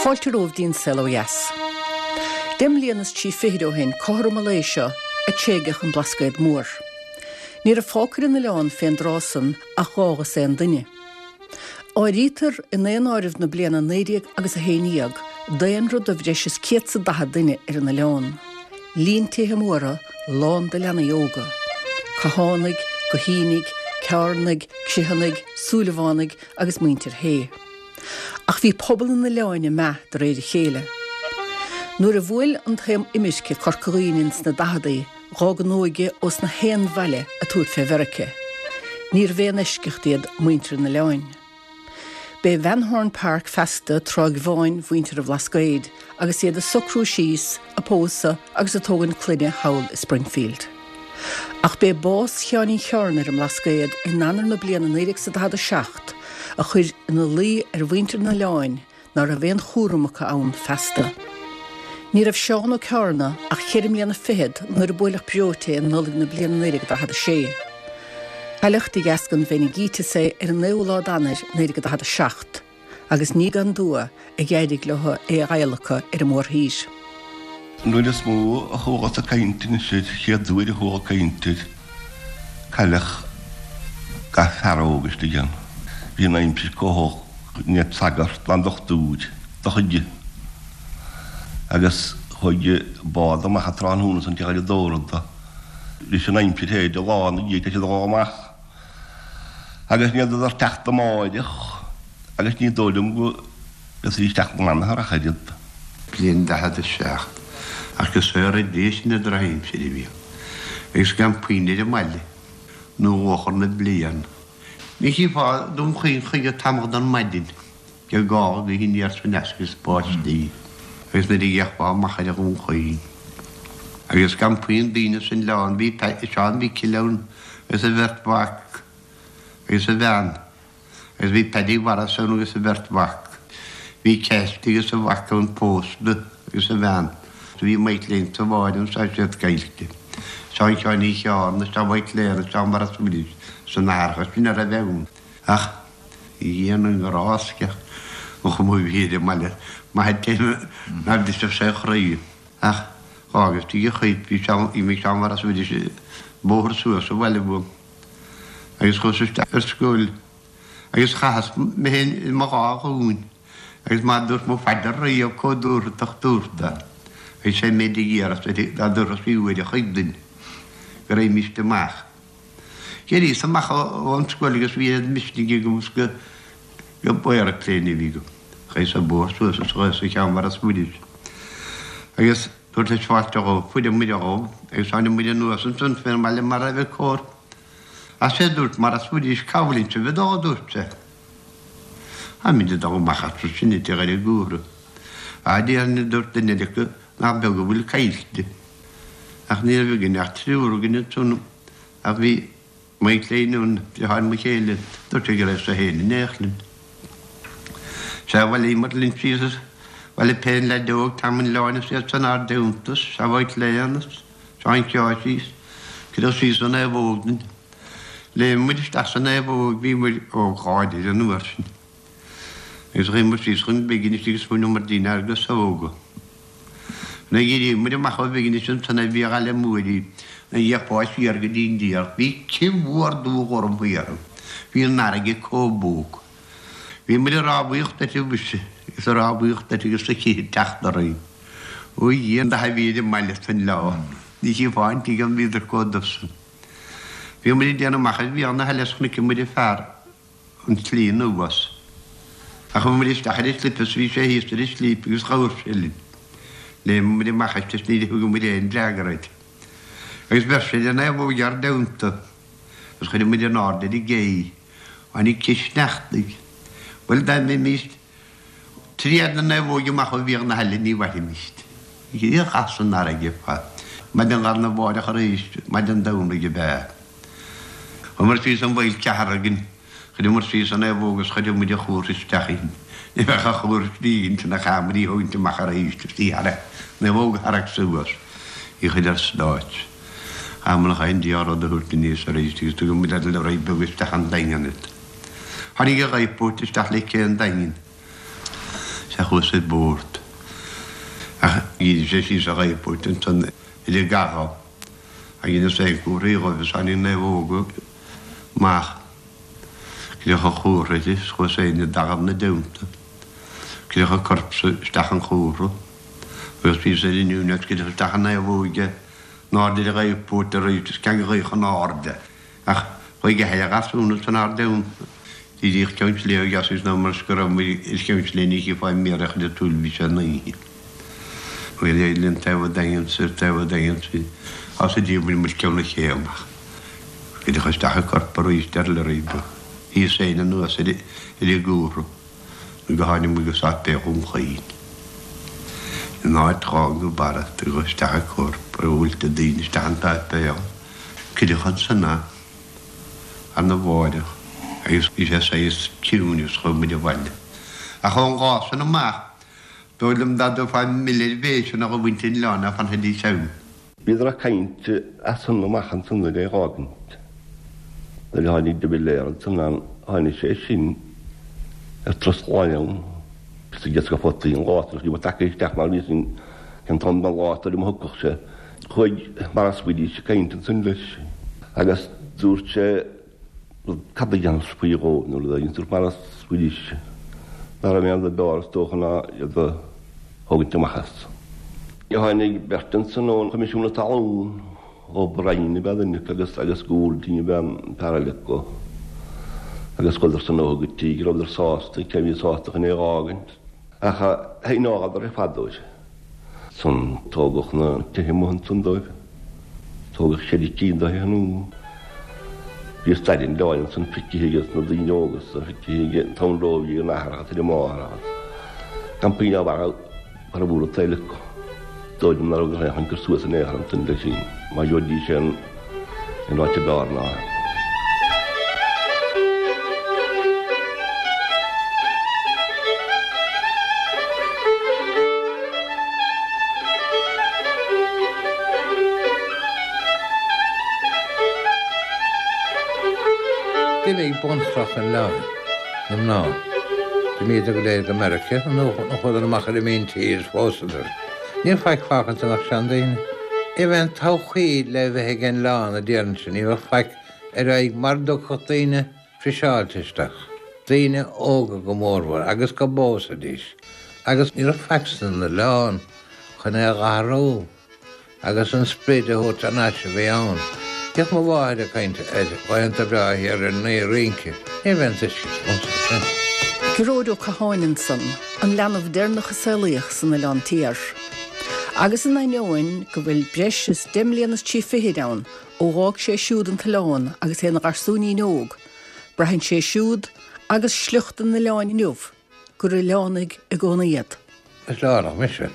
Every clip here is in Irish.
Fáilte romhaibh dtí'n Saol Ó Dheas. Deich mbliana is 30 fichid ó shin, cothrom an lae seo, a tréigeadh an Blascaod Mór. Ní raibh fágtha ar an oileán fén dtráth san ach dhá dhosaen duine. Áirítear i ndaonáireamh na bliana 19 agus 11 daonra de bhreis is céad 's a 40 duine ar an oileán. Líon tithe móra lán de leanaí óga. Cathánaigh, Guithínigh, Ceárnaigh, Criomhthannaigh, Súilleabhánaigh agus muintir Shé. Ach bhí pobal an oileáin ag meath de réir a chéile. Nuair a bhuail an taom imirce Corca Dhuibhne ins na daicheadaí, Dh'fhág an óige ós na haon bhaile ag tabhairt fé Mheirice. Níorbh aon eisceacht iad muintir an oileáin. B'é Van Horn Park feasta Tráigh Bháin mhuintir an Bhlascaoid agus iad ag socrú síos, ag pósadh agus ag tógaint clainne thall i Springfield. Ach b'é bás Sheáinín Cheárna ar an mBlascaod in Eanáir na bliana 1947 a chuir ina luí ar mhuintir an oileáin ná raibh aon chúram acu ann feasta. Ní raibh Seán Ó Ceárna ach cheithre mbliana fichead nuair a buaileadh breoite é i Nollaig na bliana 1946. Cailleadh de dheasca an mheiningíteas é ar an naoú lá d'Eanáir 1947 agus ní gan dua a d'éirigh leo é a adhlacadh ar an mórthír. An uair is mó a chualas ag caint anois air, chéad uair a chuala ag caint air, cailleadh gach fear óg istigh ann. Bhí an aimsir chomh holc ní raibh sagart ná dochtúir do chuid agus chuaigh bád amach an tráthnóna san teach ar an dórramh leis an aimsir théid a lá ina dhiaidh tá siad a dhul amach agus ní fheadar teacht amáireach agus ní dóigh liom go bhféadfaidís teacht an athuair ach oiread. Bliain 47 ach go saora Dia sin an drochaimsir a bhí ann agus gan puinn ar an mbaile nó luachair na bliana. Ní chífeá Dún Chaoin choíche tamall don maidin de gá gaoth aniar 's aneas agus báistí agus nuair a d'fhéachfá amach ar Dhún Chaoin agus gan puinn daoine san oileán bhí Seán Mhicil ann agus a bheirt mhac agus a bhean agus bhí Paddy Mhaurice ann agus a bheirt mhac. Bhí Ceaist agus a mhac ann pósta agus a bhean. Bhí Mike Lane sa bhád ann tá siad caillte. Seán Sheáin Uí Cheárna, Seán Mhaidhc Léana, Seán Mhaurice Willis san atharcha sin a raibh ann. Ach Dhia na nGrást an chuma a bhí ar an mbaile, maith an té nár bhrisfeadh sé a chroí. Ach dh'fhágas tigh a chuid, bhí Seán, d'imigh Seán Mhaurice Willis bóthar suas abhaile uaim agus chuas isteach ar scoil agus chaitheas mé féin i mo dhá ghlúin. Agus má dúirt mo phaidir riamh chomh dúthrachtach dúrtha agus sé an méid a d'iarras uirthi dá dtabharfadh sí uair a choig duinn go raghaimíst amach. D'éiríos amach ón scoil agus bhí oiread misnigh agam is go go aeroplane a bhí agam. Chuas an bóthar suas is chuas go Ceann Mhaurice Willis agus dúrtas fáilte dhóibh, fuair muid dhóibh agus tháinig muid anuas ansan fén mbaile mar a raibh cóir. Ach sé dúirt Maurice Willis cá bhfuileann sibh ag dul a dúirt sé. Táimid ag dul amach as sin i dTigh Dhoire Gúthra. Á déarfainn a dúirt duine acu nach beag a bhfuil caillte. Ach ní raibh againn ach triúr againn ansan ach bhí Mike Lane ann, deartháir mo chéile, dúirt sé go raibh sé féin in éineacht linn. Sea, bhailíomar linn síos is bhailigh pé an leaid óg Tom an Oileáin is iad san ár dteannta, sea Mike Lane is Seán Sheáirsí is cuireadh síos sa naomhóg dúinn. Léim muid isteach sa naomhóg, bhí muid óg láidir an uair sin. Agus chuaigh muid síos chun Bhiginis agus bhaineamar dínn ár gcasóga. Nuair a d'éirigh muid amach ó Bhiginis ansan ar Bhia Ghaile Mhuirí, nuair a d'fhéachfá siar go dtí an dTiarc, bhí cith mhór dubh ghorm thiar ann. Bhí an fharraige comh buach. Bhí muid ag rámhaíocht uirthi mhuise, agus ag rámhaíocht uirthi agus an chith ag teacht orainn. Ó a Dhia, an dath a bhí ar an mbaile san lá, ní chífeá an tigh ann, bhíodar comh dubh san. Bhí muid ag déanamh amach ar Bhéal na hAille is chonaic muid an fear an tslí anuas. Ach chuaigh muid isteach ar an slip is bhí sé thíos ar an slip agus dúirt sé linn. Léim muid amach as is ní thug muid aon fhreagra air. Agus bheir sé ar an naomhóg ár dteannta agus chuir muid in airde ar an gcé. Tháinig cith sneachtaidh. Bhuel dá mbeimíst Triath na naomhóige amach ó Bhéal na hAille ní mhairfimíst. Chaitheas san fharraige ar fad. Maidin lá arna mháireach arís, maidin Domhnaigh ab ea. Chuamar síos an Mhaoil Cheathargain, chuireamar síos an naomhóg is chuir muid an chuach isteach inti. Ní bheadh an chuach istigh inti ach chaith muid í thógaint amach arís is í tharrac, naomhóg a tharrac suas, í chuir ar stáit. Chaith muid an dá rud a thabhairt aníos arís agus thug muid ar lorry beag isteach an Daingean iad. Tháinig an lifeboat isteach le cé an Daingin. Sea chuas ar bord. Ach dhírigh sé síos ar ghaoth ansan ar an gcathair. Ach dheineas aon comharthaí dhóibh is tháinig naomhóga amach. Cuireadh an chomhartha uirthi is chuas féin i dtalamh 'na dteannta. Cuireadh an corp isteach an chomhartha. Agus bhíos ar an Union cuireadh isteach an naomhóig in airde ar an ghaothphoirt arís is ceann gaoth in airde. Ach chuaigh athair a gharsún ansan ár dteannta. Díríodh ceann sléibhe dheas is ná mar is go raibh muid ar cheann sléibhe ní chífeá méar a chuir an tsúil bhí sé in oíche. Bhí le linn taobh an daingin soir taobh an daingin soir as a d'oibrigh muid ceann na cé amach. Cuireadh isteach an corp arís ar lorry beag. Thíos féin anuas ar an gcomhartha nó go tháinig muid go Sáipéal Dhún Chaoin. In áit dhán go barra tugadh isteach an corp ar bhuailte daoine isteach an tsáipéal. Cuireadh ansan é arna mháireach agus bhí sé saghas ciúin agus chuaigh muid abhaile. Ach ón lá san amach, dóigh liom dá dtabharfá mile ar bhéasa do mhuintir an oileáin ná fanfaidís ann. Bhíodar ag caint as san amach ansan nuair é dh'fhágaint. Nuair a tháinig de Valera ansan ann tháinig sé sin ar Turas Laighean is ag iascach fataí an lá san bhí tagtha isteach mar bhí sin cén t-am den lá tar a thiocfadh sé. Chuaigh Maurice Willis ag caint ansan leis agus dúirt sé cad a dhéanfas faoi dhó nó rud éigin. Dúirt Maurice Willis nach raibh aon rud b'fhearr is dócha ná iad a thógaint amach as. Tháinig beirt ansan ón Choimisiún na Talún, O'Brien ab ea duine acu agus agus Goulding ab ea an fear eile acu agus chuadar san ó go dtí go rabhadar sásta, cé a bhí sásta chun é a dh'fhágaint. Ach shíneochadar ar fad dóibh. San tógadh na tithe amuigh ansan dóibh. Tógadh ceithre cinn de thithe nua. Bhí stair an oileáin ansan feicthe aige na daoine óga is feicthe aige an t-am romhaibh ag a n-athair agus ar a máthair agus gan puinn ábhar mar a bhfuair an tsaol acu. Dóigh liom ná raibh aon chur suas in aon chor ansan leis sin má gheobhaidís aon áit ab fhearr ná é. D'imigh bunchloch an oileáin, na mná. D'imíodar go léir go Meiriceá nó chuadar amach ar an míntír is phósadar. Níl faic fágtha ansan ach seandaoine. Ní raibh aon todhchaí le bheith ag an oileán a déarfainnse, ní bheadh faic ar aghaidh mara dtiocfadh daoine friseáilte isteach, daoine óga go mórmhór, agus go bpósfaidís, agus ní raibh faic san oileán chun é a dh'athrú. Agus an sprid a thabhairt thar n-ais a bhí ann. Bhíodh mo mháthair ag caint ar laethanta breátha thiar ar an rince. Ní raibh aon tuiscint agamsa air sin. Gearóid Ó Catháin ansan, an leanbh deireanach a saolaíodh san Oileán Tiar. Agus in ainneoin go bhfuil breis is deich mbliana is 30 ann ó dh'fhág sé siúd an t-oileán agus é ina gharsúinín óg, braitheann sé siúd agus sliocht an oileáin inniu gur oileánaigh i gcónaí iad. Is oileánach mise.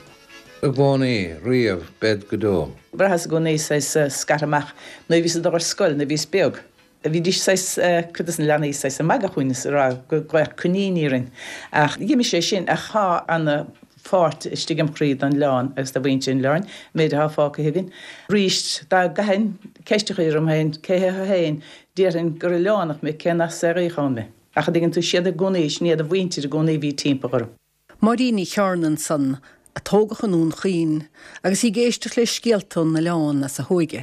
I gcónaí, riamh, bead go deo. Bhraitheas i gcónaí saghas scartha amach nuair a bhíos ag dul ar scoil nuair a bhíos beag. Bhídís saghas, cuid des na leanaí saghas ag magadh fúinn is ag rá go gcuirfeadh coiníní orainn. Ach d'imigh sé sin ach tá ana pháirt istigh im chroí don oileán agus do mhuintir an oileáin, an méid atá fágtha againn. Arís, dá gcaithfinn ceist a chur orm féin, cé hé thú féin, déarfainn gur oileánach mé cé nach as Gaoth Dobhair mé. Ach a dtuigeann tú, siad i gcónaí, sin iad an mhuintir i gcónaí a bhí timpeall orm. Máirín Ní Chearna ansan, a tógadh i nDún Chaoin, agus í ag éisteacht le scéalta ón oileán as a hóige.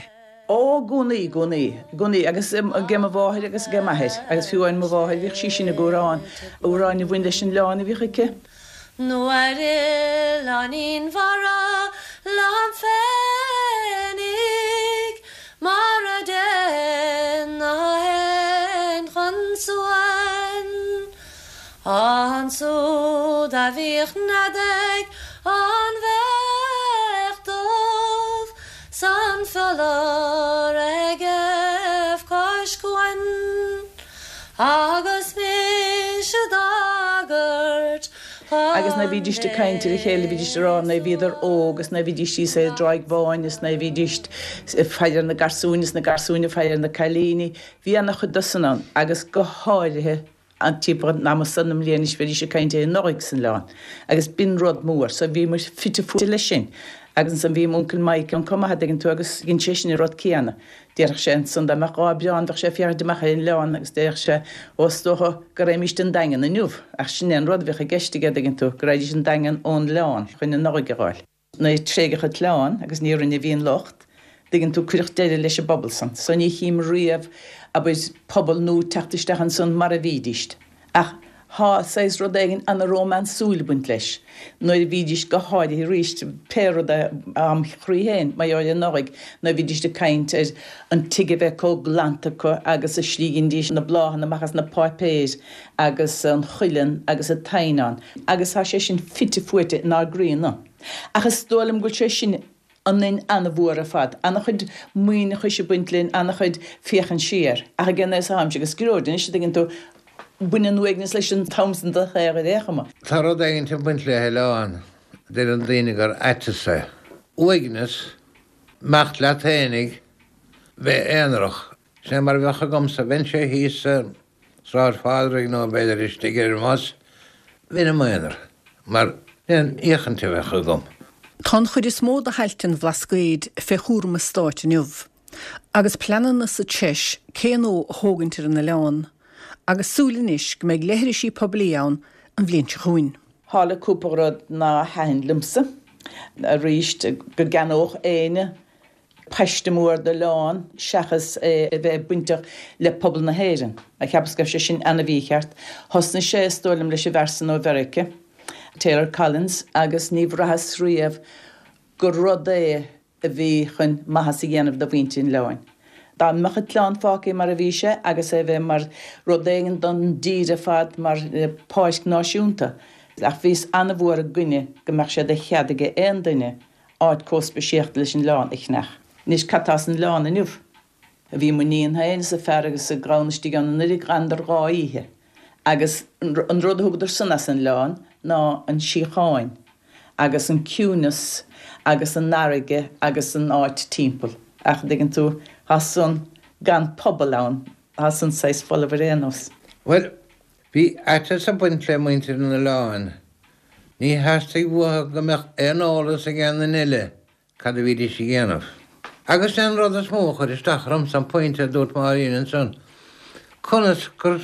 Ó, i gcónaí, i gcónaí, i gcónaí, agus age mo mháthair agus age m'athair, agus fiú amháin mo mháthair, bhíodh sí sin ag amhrán, amhráin a bhain leis an oileán a bhíodh aici. Nó ar oileáinín mhara liom féinig mar a dtéann na héin chun suain. Ansúd a bhíodh nead ag an bheach dubh 's an fiolar ag éamh cois cuain. Agus mise d'agairt Agus nuair a bhídíst ag caint ar a chéile bhídíst ag rá nuair a bhíodar óg is nuair a bhídíst thíos ar an dTráigh Bháin is nuair a bhídíst ag faire ar na garsúin is na garsúin ag faire ar na cailíní. Bhí ana-chuid de san ann agus go háirithe an timpeall an ama san na mbliana is bhídís ag caint ar an Nollaig san oileán agus b'in rud mór so bhí muid fite fuaite leis sin. Agus ansan bhí m'uncail Mike ann chomh maith, a' dtuigeann tú, agus dhein seisean an rud céanna. Déarfadh sé ansan dá mbeadh dhá breán bheadh sé ag féachaint amach ar an oileán agus déarfadh sé, ó is dócha go raghaimíst an Daingean inniu. Ach sin é an rud a bhíodh i gceist aige, a' dtuigeann tú, go raghaidís an Daingean ón oileán chun an Nollaig a dh'fháil. Nuair a tréigeadh an t-oileán, agus ní orainn a bhí an locht, dtuigeann tú, cuireadh deireadh leis an bpobal san. So ní chím riamh, abair, pobal nua teacht isteach ansan mar a bhídíst. Ach thá saghas rud éigin ana-rómánsúil ag baint leis. Nuair a bhídíst go háirithe arís, pé rud é, am chroí féin, mar gheall ar an Nollaig, nuair a bhídíst ag caint ar an tigh a bheith comh glanta acu agus a shligindís na bláthanna amach as na páipéir agus an chuileann agus an t-eidhneán. Agus thá sé sin fite fuaite inár gcroíonna. Ach is dóigh liom go bhfuil sé sin ionainn ana-mhór ar fad. Ana-chuid maoithneachais ag baint linn, ana-chuid féachaint siar. Ach ag an aos atáimse agus Gearóid anois, a dtuigeann tú, baineann uaigneas leis an t-am san de shaol ar aon chuma. Tá rud éigint ag baint le hoileán, deireann daoine gur aiteas é. Uaigneas, imeacht leat fhéinig, bheith aonarach. Sin é mar a bheadh agamsa, bheinnse thíos sa Sráid Phádraig nó b'fhéidir istigh ar an mbus, bheinn i m'aonar, mar aon fhéachaint a bheadh agam. Tá an chuid is mó de thailte an Bhlascaoid fé chúram an stáit inniu, agus pleananna sa treis cé nua a thógaint ar an oileán, agus súil anois go mbeidh leithrisí poiblí ann an bhliain seo chugainn. Tharla cúpla rud ná thaitin liomsa arís, go gceannódh éinne paiste mór d'oileán seachas é a bheith bainteach le pobal na hÉireann. Cheapas go raibh sé sin ana-mhícheart. Thosnaigh sé, is dóigh liom, leis an bhfear san ó Mheirice, Taylor Collins, agus ní bhraitheas riamh gur rud é a bhí chun maitheas a dhéanamh do mhuintir an oileáin. Dá mbeadh an t-oileán fágtha mar a bhí sé agus é a bheith mar rud éigin don dtír ar fad, mar pháirc náisiúnta. Ach bhíos ana-mhór i gcoinne go mbeadh sé de chead aige aon duine áit comh speisialta leis an oileán a cheannach. Anois cad tá san oileán inniu? Bhí m'iníon féin is a fear agus a gclann istigh ann anuiridh d'fhanadar 2 oíche agus an rud a thugadar san as an oileán ná an síocháin agus an ciúineas agus an fharraige agus an áit timpeall. Ach an dtuigeann tú, tá san gan pobal ann, tá san saghas folamh ar aon nós. Bhuel, bhí aiteas ag baint le muintir an oileáin. Ní theastaigh uathu go mbeadh aon eolas ag aon duine eile cad a bhídís a dhéanamh. Agus an rud is mó a chuir isteach ormsa an pointe a dúirt Máirín ansan, conas gur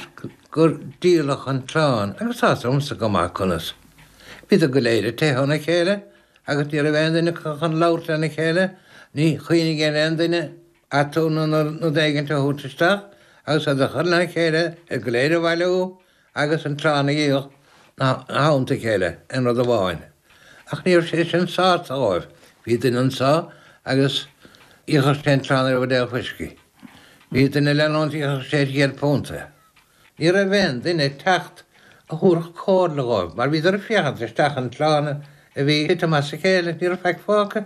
gur díoladh an t-oileán, agus tá's agamsa go maith conas. Bhíodar go léir ag teitheadh óna chéile agus ní raibh aon duine acu chun labhairt lena chéile, ní chuimhnigh ar aon duine aturnae nó rud éigint a thabhairt isteach agus iad a chur lena chéile, iad go léir a bhailiú agus an t-oileán a dhíol ina theannta a chéile aon rud amháin. Ach ní raibh sé sin sásta dhóibh. Bhí duine anso agus dhíolfadh sé an t-oileán ar bhuidéal fuiscí. Bhí duine eile ann dhíolfadh sé ar chéad punt é. Ní raibh aon duine ag teacht a thabharfadh comhairle dhóibh mar bhíodar ag féachaint isteach an t-oileán a bhí ag titim as a chéile, ní raibh faic fágtha.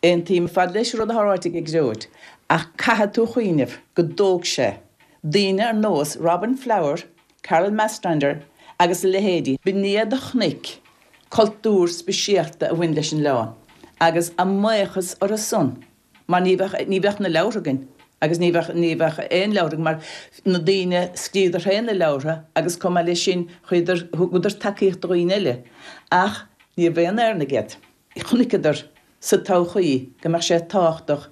Aontaím ar fad leis an rud atá ráite ag Gearóid ach caithfidh tú chuimhneamh go dtóg sé daoine ar nós Robin Flower, Carol Marstrander agus a leithéidí, b'in iad a chonaic cultúr speisialta a bhain leis an oileán agus a mbuíochas orthu san mar ní bheadh, ní bheadh na leabhartha againn agus ní bheadh, ní bheadh aon leabhar againn mar na daoine, scríobhadar féin na leabhartha agus chomh maith leis sin chuireadar, thugadar tacaíocht do dhaoine eile ach ní raibh aon Éireannaigh iad. Chonaiceadar sa todhchaí go mbeadh sé tábhachtach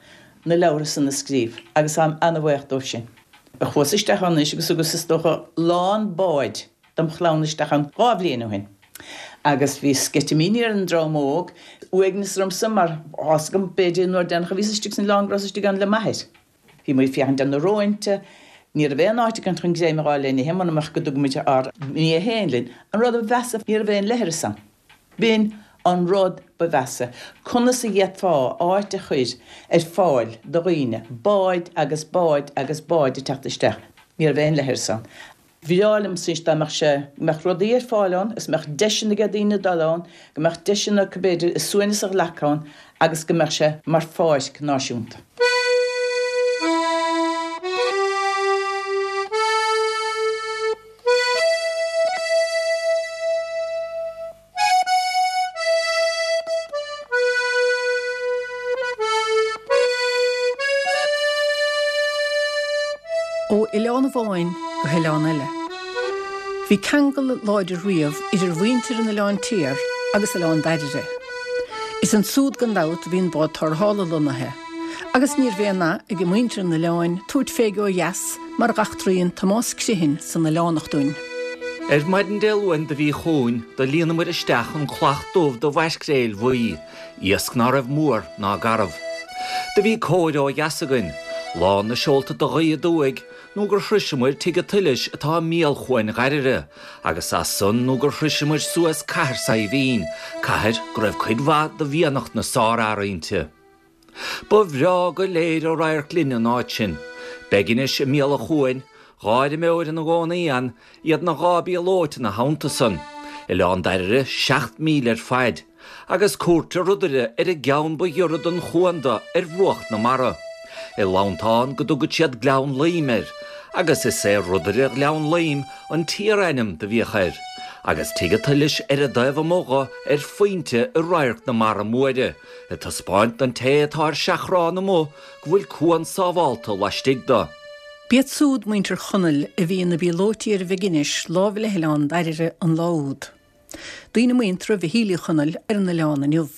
na leabhartha san a scríobh agus táim ana-bhaoch dóibh sin. Chuas isteach ann anois agus thugas is dócha lán báid dom chlann isteach ann 2 bhliain ó shin agus bhí sceitimíní ar an dream óg, uaigneas ormsa mar tá's agam b'fhéidir an uair deireanach a bhíos istigh san oileán go rabhas istigh ann le m'athair. Bhí muid ag féachaint ar na róinte, ní raibh aon áit againn chun greim a fháil le n-ithe muna mbeadh go dtugadh muid ár mbia féin linn. An rud ba mheasa, ní raibh aon leithreas ann. B'in an rud ba mheasa. Conas a d'fhéadfá áit a chuir ar fáil do dhaoine, báid agus báid agus báid ag teacht isteach. Ní raibh aon leithreas ann. Bhreá liomsa anois dá mbeadh sé, go mbeadh rudaí ar fáil ann agus go mbeadh deiseanna ag daoine dul ann, go mbeadh deiseanna acu b'fhéidir a suaimhneas a ghlacadh ann agus go mbeadh sé mar pháirc náisiúnta. Ó oileán amháin go hoileán eile. Bhí ceangal láidir riamh idir mhuintir an Oileáin Tiar agus Oileán Dairbhre. Is ansúd gan dabht a bhí an bád tarrthála lonnaithe, agus níorbh aon nath ag muintir an oileáin tabhairt fé ó dheas mar dh'eachtraíonn Tomás Criomhthain san Oileánach dúinn. Ar maidin Dé Luain do bhí chúinn do líonamair isteach an clach dubh de mhaircréil bhuí, iasc ná raibh mór ná garbh. Do bhí cóir ó dheas againn, lán na seolta de ghaoth aduaidh, nó gur shroiseamair Tigh a' tSoilis atá i mbéal Chuain Ghairire, agus as san nó gur shroiseamair suas Cathair Saidhbhín, cathair go raibh cuid mhaith de mhianach na sárfhear inti. Ba bhreá go léir a radharc linne an áit sin. Beginis i mbéal an chuain, 2 fheirmeoir ina gcónaí ann, iad 'na dhá bpíolóit ina theannta san, Oileán Dairire 7 míle ar faid. agus cuairt ar rudaire ar an gceann ba ghiorra don chuan do ar bhruach na mara. I lantán go dtugad siad Gleann Loim air, agus is é Rudaire Ghleann Loim an t-iar-ainm do bhíodh air, agus Tigh a' tSoilis ar an dtaobh amuigh dho ar phointe i radharc na mara móire, ag taispeáint don té atá ar seachrán amuigh go bhfuil cuan sábhálta laistigh do. B'iad súd muintir Chonaill a bhí ina bpíolóití ar Mhig Inis láimh le hOileán Dairire an lá úd. Daoine muinteartha Mhichíl Uí Chonaill ar an oileán inniu.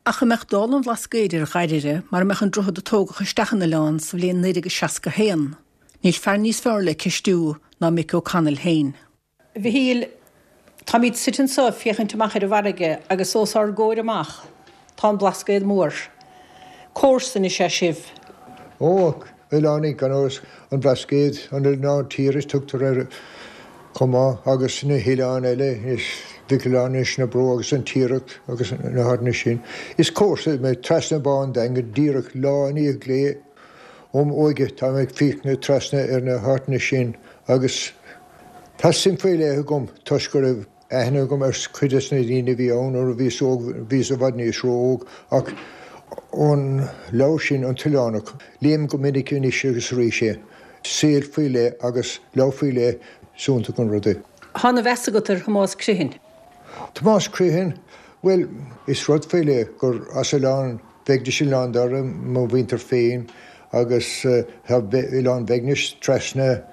Ach an mbeadh dála an Bhlascaoid ar Dhairire mar a mbeadh an droichead a tógadh isteach an oileán sa bhliain 1961? Níl fear níos fearr le ceistiú ná Mick Ó Conaill féin. A Mhichíl, táimid suite anseo ag féachaint amach ar an bhfarraige agus os ár gcomhair amach tá an Blascaod Mór. Comharsain is ea sibh. Ó, oileánaigh gan amhras, an Blascaod, an Oileán Tiar is tugtar air chomh maith, agus na hoileáin eile, Inis Mhic Oileáin, Inis na Bró agus an Tiaracht agus na háiteanna sin. Is comharsa mé trasna Bá an Daingin díreach lá i ndiaidh lae óm óige tá mé ag féachaint trasna ar na háiteanna sin agus tá suim faoi leith agam toisc go raibh aithne agam ar chuid des na daoine a bhí ann nuair a bhíos óg, bhíos i bhfad níos ró-óg, ach ón leabhar sin, An tOileánach, léim go minic anois agus arís é. Saol faoi leith agus leabhar faoi leith, is iontach an rud é. Tá ana mheas agat ar Thomás Criomhthain. Tomás Criomhthain, bhuel, is rud faoi leith gur as Oileán Bheagnis Oileán Dara mo mhuintir féin agus tá Oileán Bheagnis trasna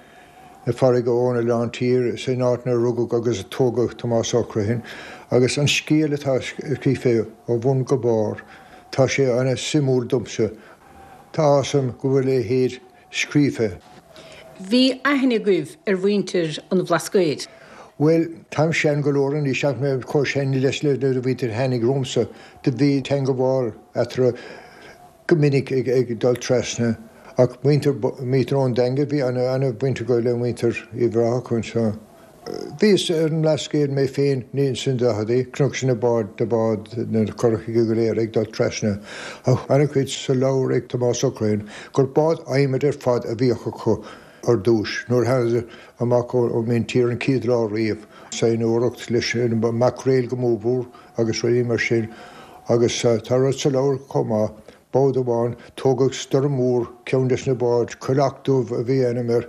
na farraige ón Oileán Tiar, sin áit 'nar rugadh agus a tógadh Tomás Ó Criomhthain, agus an scéal atá scríofa ó bhun go barr, tá sé ana suimiúil domsa. Tá áthas orm go bhfuil a leithéid scríofa. Bhí aithne agaibh ar mhuintir an Bhlascaoid? Bhuel, táim sean go leor anois ach mé chomh sean leis le nuair a mhuintir tháinig romhamsa, do bhí teangabháil eatarthu. go minic ag dul trasna ach muintir muintir ón Daingean bhí ana ana bhaint acu le muintir Uíbh Ráthach anseo. Bhíos ar an mBlascaod mé féin ins na daicheadaí, chonac na báid na báid na curachaí go léir ag dul trasna. Tá ana chuid sa leabhar ag Tomás Ó Criomhthain gur bád adhmaid ar fad a bhíodh acu ar dtúis nuair a thánadar amach ón míntír an chéad lá riamh. Saighneoireacht leis an maicréil go mórmhór agus rudaí mar sin. Agus tá rud sa leabhar chomh maith, bád amháin, tógadh stoirm mhór ceann des na báid, Coileach Dubh a bhí ainm air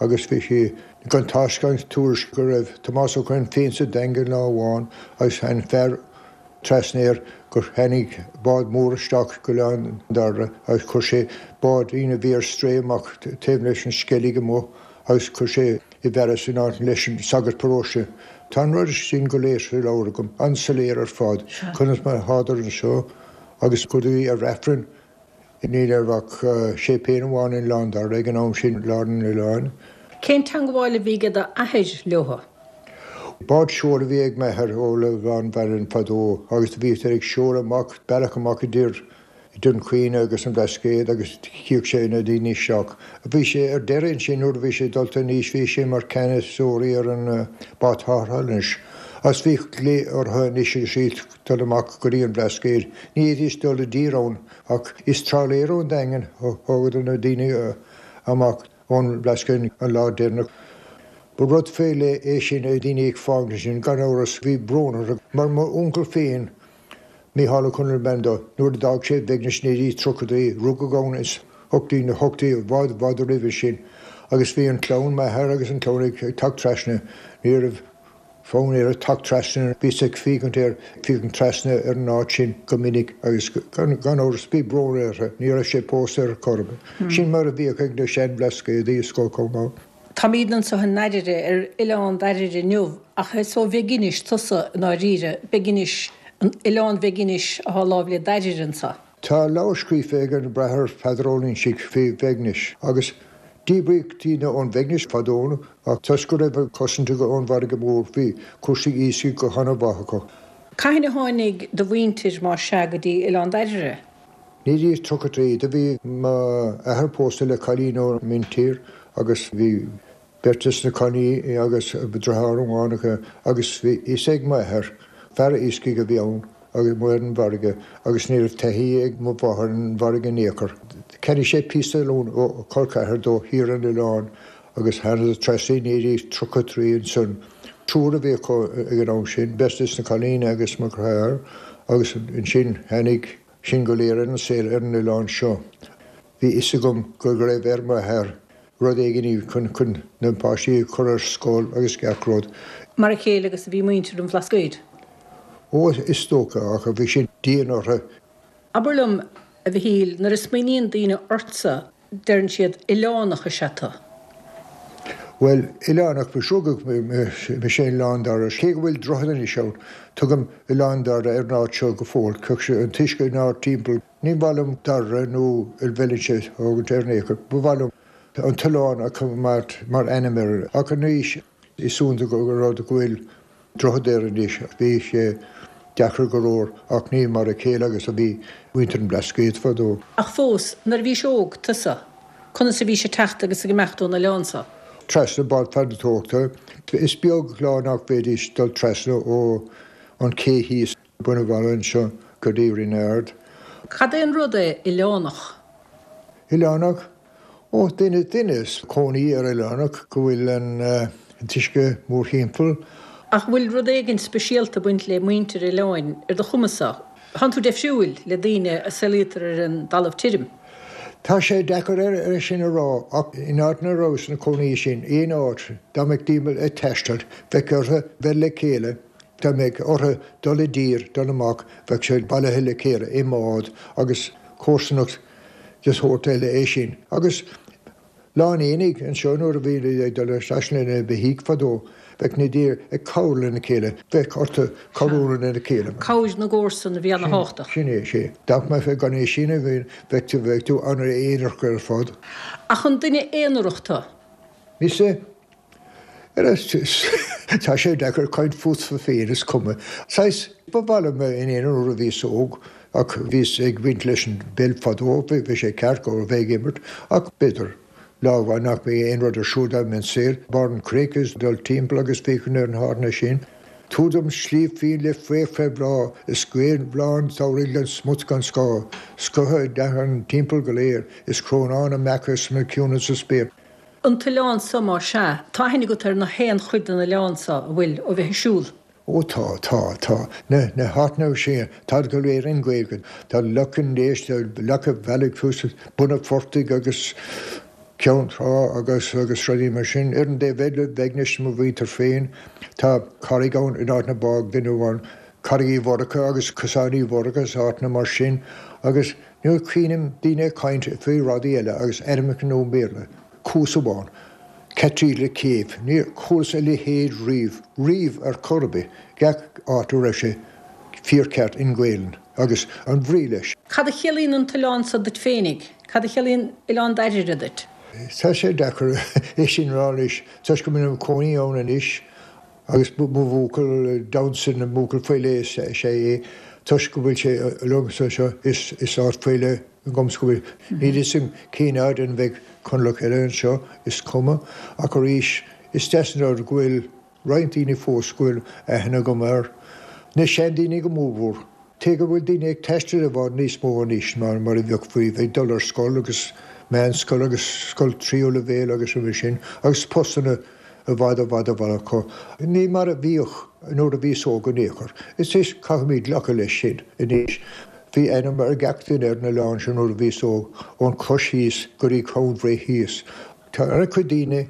agus bhí sí gan tásc gan tuairisc go raibh Tomás Ó Criomhthain féin sa Daingean lá amháin agus tháinig fear trasna air gur tháinig bád mór isteach go Oileán Dairbhre agus chuir sé báidín a bhí ar strae amach taobh leis an sceilg amuigh agus chuir sé i bhfearas in áit leis an sagart paróiste. Tá an rud sin go léir sa leabhar agam, an-soiléir ar fad, conas mar a thádar anseo agus go dtí ar Aifreann. Ní raibh ach séipéal amháin in Oileán Dairbhre ag an am sin, lár an oileáin. Cén teangabháil a bhí ag d'athair leothu? Bád seoil a bhí ag m'athair ó Oileán Mharainn fadó agus do bhíodar ag seoladh amach, bealach amach idir Dún Chaoin agus an Blascaod agus chíodh sé na daoine isteach. Bhí sé ar deireadh ansin nuair a bhí sé dulta in aois bhí sé mar ceannasóirí ar an bád tarrthála anois. Agus bhíodh glao orthu anois agus iad dul amach go dtí an Blascaod. Ní fhéadfaidís dul i dtír ann ach is trálaeir ón Daingean a thógadar na daoine amach ón mBlascaod an lá deireanach. Ba rud faoi leith é sin, daoine ag fágaint ansin, gan amhras bhí brón orthu mar m'uncail féin Mícheál Ó Conaill ab ainm dó. Nuair a d'fhág sé Beagnis 1930, rugadh ann ins na hochtaí, i bhfad, bhfad roimhe sin agus bhí an clann, m'athair agus an clann ag teacht trasna, ní raibh fonn air teacht trasna, bhíos ag féachaint air, féachaint trasna ar an áit sin go minic agus gan amhras bhí brón orthu, ní raibh sé pósta ar chor ar bith. Sin mar a bhíodh ag na sean-Bhlascaodaí is dócha chomh maith. Táimídne anseo i nDairire, ar Oileán Dairire inniu, ach is ó Bheag Inis tusa i ndáiríre, Beag Inis. An Oileán Bheginis athá láimh le Dairire anso. Tá leabhar scríofa ag an Bráthair Peadar Ó Loingsigh faoi Bheagnish agus díbríodh daoine ón Bheagnish fadó ach toisc go raibh cosaint ón bhfarraige mhór bhí cúrsaí iascaigh go hana-mhaith acu. Cathain a tháinig do mhuintir, más ea, go dtí Oileán Dairire? 1933, do bhí m'athair pósta le cailín ón míntír agus bhí beirt des na cailíní agus deartháir amháin acu agus bhí fhios ag m'athair, fear iascaigh a bhí ann agus amuigh ar an bhfarraige agus ní raibh taithí ag mo mháthair ar an bhfarraige in aon chor. Cheannaigh sé píosa talún ó chol ceathar dó thiar ar an oileán agus thánadar trasna i 1933 ansan. Triúr a bhí acu ag an am sin, beirt des na cailíní agus mo dheartháir agus ansin tháinig sinn go léir ar an saol ar an oileán seo. Bhí fhios agam go raibh ar m'athair rud éigin chun chun na páistí a chur ar scoil agus gach rud. Mar a chéile agus a bhí muintir an Bhlascaoid. Ó, is dócha, ach bhí sin dian orthu. Abair liom, a Mhichíl, nuair a smaoiníonn daoine ortsa, deireann siad, 'oileánach is ea tu'. Bhuel, oileánach, ba rugadh mise in Oileán Dairbhre. Cé go bhfuil droichead anois ann, tugaim Oileán Dairbhre ar an áit seo go fóill. An t-uisce inár dtimpeall. Ní mhaith liom Dairbhre nó Valentia a thógaint ar aon chor. Ba mhaith liom an t-oileán a choimeád mar ainm air. Ach anois is iontach an rud go bhfuil droichead air anois. Bhí sé deacair go leor ach ní mar a chéile agus a bhí muintir an Bhlascaoid fadó. Ach fós, nuair a bhís óg, tusa, conas a bhís ag teacht agus ag imeacht ón oileán so? Trasna bád farantóireachta. Is beag lá nach bhféadaís dul trasna ó an ché thíos. Bun an Bhaile anseo go dtí Rinn Ard. Cad é an rud é oileánach? Oileánach? Ó, duine, duine is cónaí ar oileánach go bhfuil an t-uisce mórthimpeall. Ach bhfuil rud éigin speisialta ag baint le muintir oileáin ar do chuma-sa? Tánn tú deifriúil le daoine a saolaítear ar an dtalamh tirim. Tá sé deacair é sin a rá ach in áit ina rabhas ina cónaí sin aon áit dá mbeadh daoine ag taisteal bheadh orthu bheith le chéile Dá mbeadh orthu dul i dtír, dul amach, bheadh siad bailithe le chéile i mbád agus comharsanacht de shórt eile é sin. Agus lá an aonaigh anseo nuair a bhí ag dul isteach lena beithígh fadó, bheadh na daoine ag cabhrú lena chéile, bheadh orthu cabhrú lena chéile. Cabhair na gcomharsan a bhí ana-thábhachtach. Sin é, sea. Dá mbeifeá gan é sin a bheith, bheadh tú an-aonarach ar fad. Ach an duine aonarach tu? Mise? Tá sé deacair caint fútsa féin, is cuma. Saghas, ba mhaith liom bheith in aonar nuair a bhíos óg ach bhíos ag baint leis an bpeil fadó, bhí sé ceart go bheith ag imirt ach b'fhéidir lá amháin nach mbeidh aon rud ar siúl dá mbeinn saor, barr an chnoic is dul timpeall agus féachaint ar na háiteanna sin. Tabhair dom sliabh fiain le fraoch fé bhláth is gaoth lán samhraidh gan smut gan scáth, scotha a dteannann timpeall go léir is crónán na mbeacha is na ciúnas sa spéir. An t-oileán so, más sea, tá aithne agat ar nach aon chuid den oileán so, a bhfuil, ó bheith ag siúl? Ó tá, tá, tá. Na, na háiteanna sin, táid go léir in Gaeilge. Tá Loch an Léis, tá Loch an Bhealaigh thuas, Bun an Phortaigh agus Ceann Trá agus, agus rudaí mar sin. Ar an dtaobh eile, Beagnish, mo mhuintir féin, tá carraig ann in áit na bágadh duine amháin, Carraig Uí Mhurchadha agus Cosán Uí Mhurchadha is áiteanna mar sin agus, Nuair a chluinim daoine ag caint faoi rudaí eile agus ainmneacha nua i mBéarla, cuas amháin, Cathedral Cave, níor chualas a leithéid riamh, riamh ar chor ar bith, gach áit a raibh sé fíorcheart in Gaelainn agus an bhrí leis. Cad a chiallaíonn an t-oileán so duit féinig? Cad a chiallaíonn Oileán Dairire duit? Tá sé deacair é sin a rá anois toisc go bhfuil mé i mo chónaí ann anois Agus mo bhuachaill domsa na mbuachaill faoi leith is ea é toisc go bhfuil sé liomsa anseo is is áit faoi leith agamsa go bhfuil. Níl fhios agam cén fhad an bheidh Conallach eile anseo, is cuma. Ach arís, is deas an rud go bhfuil roinnt daoine fós go bhfuil aithne agam air. Na seandaoine go mórmhór. Cé go bhfuil daoine ag taisteal i bhfad níos mó anois ná mar a bheadh faoi, ag dul ar scoil agus meánscoil agus scoil tríú leibhéal agus roimhe sin agus postanna i bhfad i bhfad i bhfad acu. Ní mar a bhíodh nuair a bhíos óg in aon chor. Is is caithfimid glacadh leis sin anois. Bhí ainm ar gach duine ar an oileán seo nuair a bhíos óg, ón Chois thíos go dtí Ceann Bhré thíos. Tá an-chuid daoine